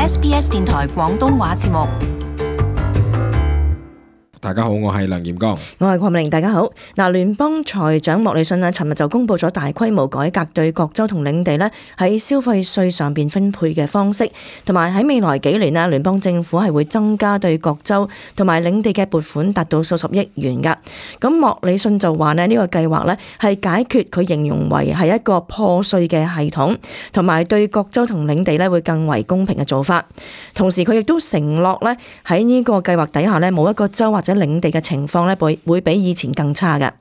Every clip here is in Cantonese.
SBS 電台廣東話節目。大家好，我係梁炎剛，我係鄺美玲。大家好。聯邦財長莫里遜尋日就公布咗大規模改革對各州同領地喺消費稅上邊分配嘅方式，同埋喺未來幾年聯邦政府係會增加對各州同埋領地嘅撥款，達到數十億元噶。咁莫里遜就話呢個計劃係解決佢形容為係一個破碎嘅系統，同埋對各州同領地會更為公平嘅做法。同時佢亦都承諾喺呢個計劃底下冇一個州或者領地嘅情況會比以前更差嘅。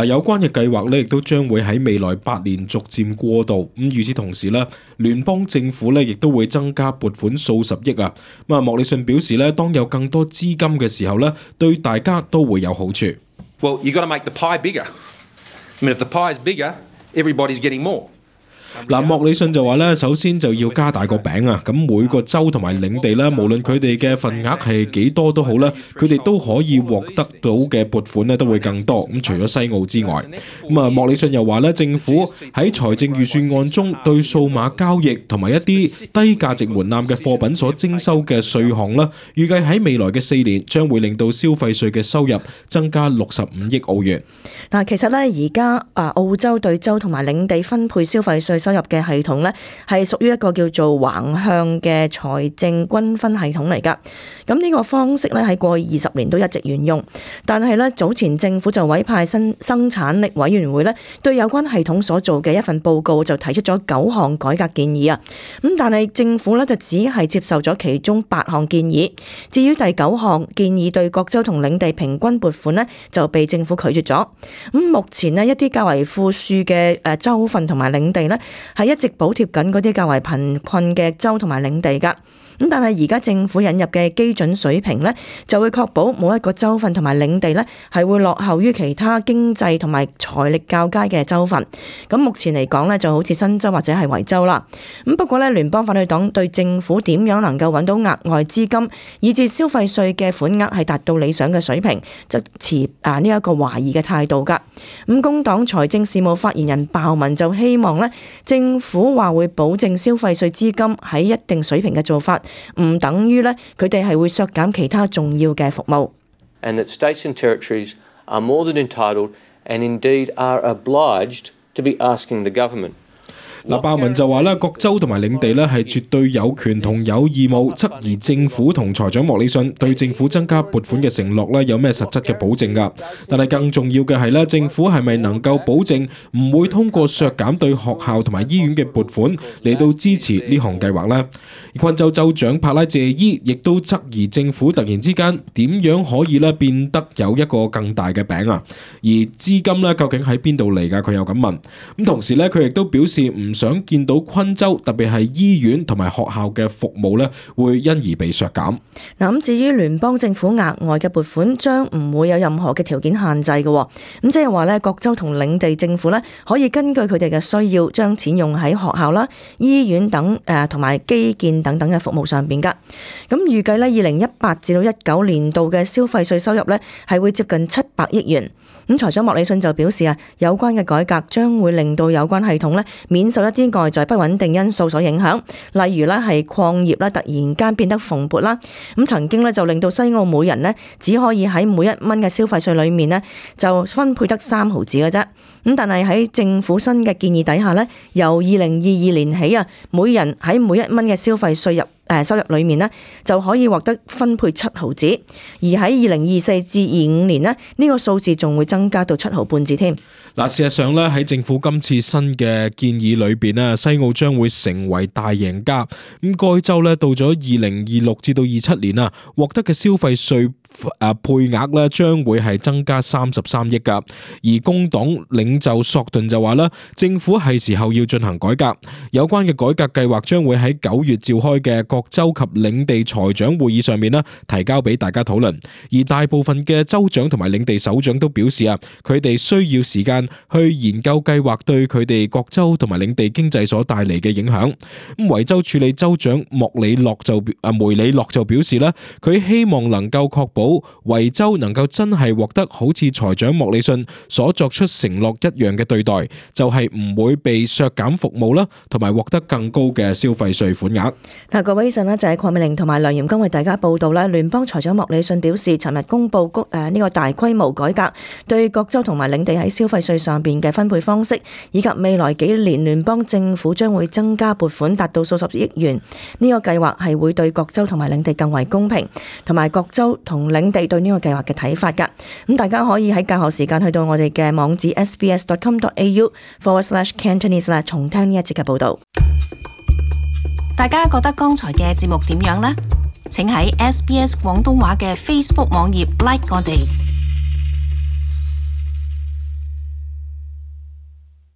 有關嘅計劃亦都將會喺未來8年逐漸過渡。咁與此同時聯邦政府亦都會增加撥款數十億啊。莫里遜表示當有更多資金嘅時候對大家都會有好處。Well, you got to make the pie bigger. I mean, if the pie is bigger, everybody's getting more. 莫里遜就話首先就要加大個餅啊！咁每個州同埋領地無論佢哋嘅份額係幾多都好啦，佢哋都可以獲得到嘅撥款都會更多。咁除咗西澳之外，莫里遜又話政府喺財政預算案中對數碼交易同埋一啲低價值門檻嘅貨品所徵收嘅稅項預計喺未來嘅4年將會令到消費稅嘅收入增加65億澳元。其實而家澳洲對州同埋領地分配消費稅收入嘅系統係屬於一個叫做橫向嘅財政均分系統嚟㗎。咁呢個方式喺過去20年都一直沿用，但係早前政府就委派生產力委員會對有關系統所做嘅一份報告就提出咗9項改革建議啊。咁但係政府就只係接受咗其中8項建議，至於第9項建議對各州同領地平均撥款就被政府拒絕咗。咁目前一啲較為富庶嘅州份同埋領地係一直補貼緊嗰啲較為貧困嘅州同埋領地㗎。咁但係而家政府引入嘅基準水平就會確保冇一個州份同埋領地係會落後於其他經濟同埋財力較佳嘅州份。咁目前嚟講就好似新州或者係維州啦。咁不過聯邦反對黨對政府點樣能夠揾到額外資金，以至消費稅嘅款額係達到理想嘅水平，就持呢一個懷疑嘅態度㗎。咁工黨財政事務發言人鮑文就希望政府話會保證消費稅資金喺一定水平嘅做法，唔等於佢哋係會削減其他重要嘅服務。And that states and territories are more than entitled and indeed are obliged to be asking the government. 鮑文就話各州同埋領地係絕對有權同有義務質疑政府同財長莫里遜對政府增加撥款嘅承諾有咩實質嘅保證㗎。但係更重要嘅係政府係咪能夠保證唔會通過削減對學校同埋醫院嘅撥款嚟到支持呢項計劃呢？昆州州長帕拉謝伊亦都質疑政府突然之間點樣可以變得有一個更大嘅餅啊？而資金究竟喺邊度嚟㗎？佢又咁問。咁同時佢亦都表示唔想見到昆州特別係醫院同埋學校嘅服務會因而被削減。咁至於聯邦政府額外嘅撥款將唔會有任何嘅條件限制嘅。咁即係話各州同領地政府可以根據佢哋嘅需要將錢用喺學校啦、醫院等同埋基建等等嘅服務上邊㗎。咁預計2018至到19年度嘅消費稅收入係會接近700億元。咁財長莫里遜就表示有關嘅改革將會令到有關系統免受一啲外在不穩定因素所影響，例如係礦業突然間變得蓬勃啦。咁曾經就令到西澳每人只可以喺每1蚊嘅消費稅裏面就分配得3毫子嘅啫。咁但係喺政府新嘅建議底下由2022年起每人喺每1蚊嘅消費稅收入裏面就可以獲得分配7毫子，而喺2024至25年呢個數字仲會增加到7毫半子添。事實上喺政府今次新嘅建議裏邊西澳將會成為大贏家。咁該州到咗2026至到27年獲得嘅消費稅配額將會係增加33億㗎。而工黨領袖索頓就話政府係時候要進行改革，有關嘅改革計劃將會喺9月召開嘅各州及領地財長會議上面提交俾大家討論。而大部分嘅州長同埋領地首長都表示佢哋需要時間去研究計劃對佢哋各州同埋領地經濟所帶嚟嘅影響。咁維州處理州長梅里諾就表示佢希望能夠確保維州能夠真係獲得好似財長莫里遜所作出承諾一樣嘅對待，就係唔會被削減服務啦，同埋獲得更高嘅消費稅款額。嗱，各位以上呢就係鄺美玲同埋梁炎剛為大家報道啦。聯邦財長莫里遜表示，尋日公布呢個大規模改革對各州同埋領地喺消費稅上邊嘅分配方式，以及未來幾年聯邦政府將會增加撥款達到數十億元。呢個計劃係會對各州同埋領地更為公平，同埋各州同領地對呢個計劃嘅睇法㗎。咁大家可以喺教學時間去到我哋嘅網址 sbs.com.au/Cantonese 啦，重聽呢一節嘅報導。大家覺得剛才嘅節目點樣呢？請喺 SBS 廣東話嘅 Facebook 網頁 like 我哋。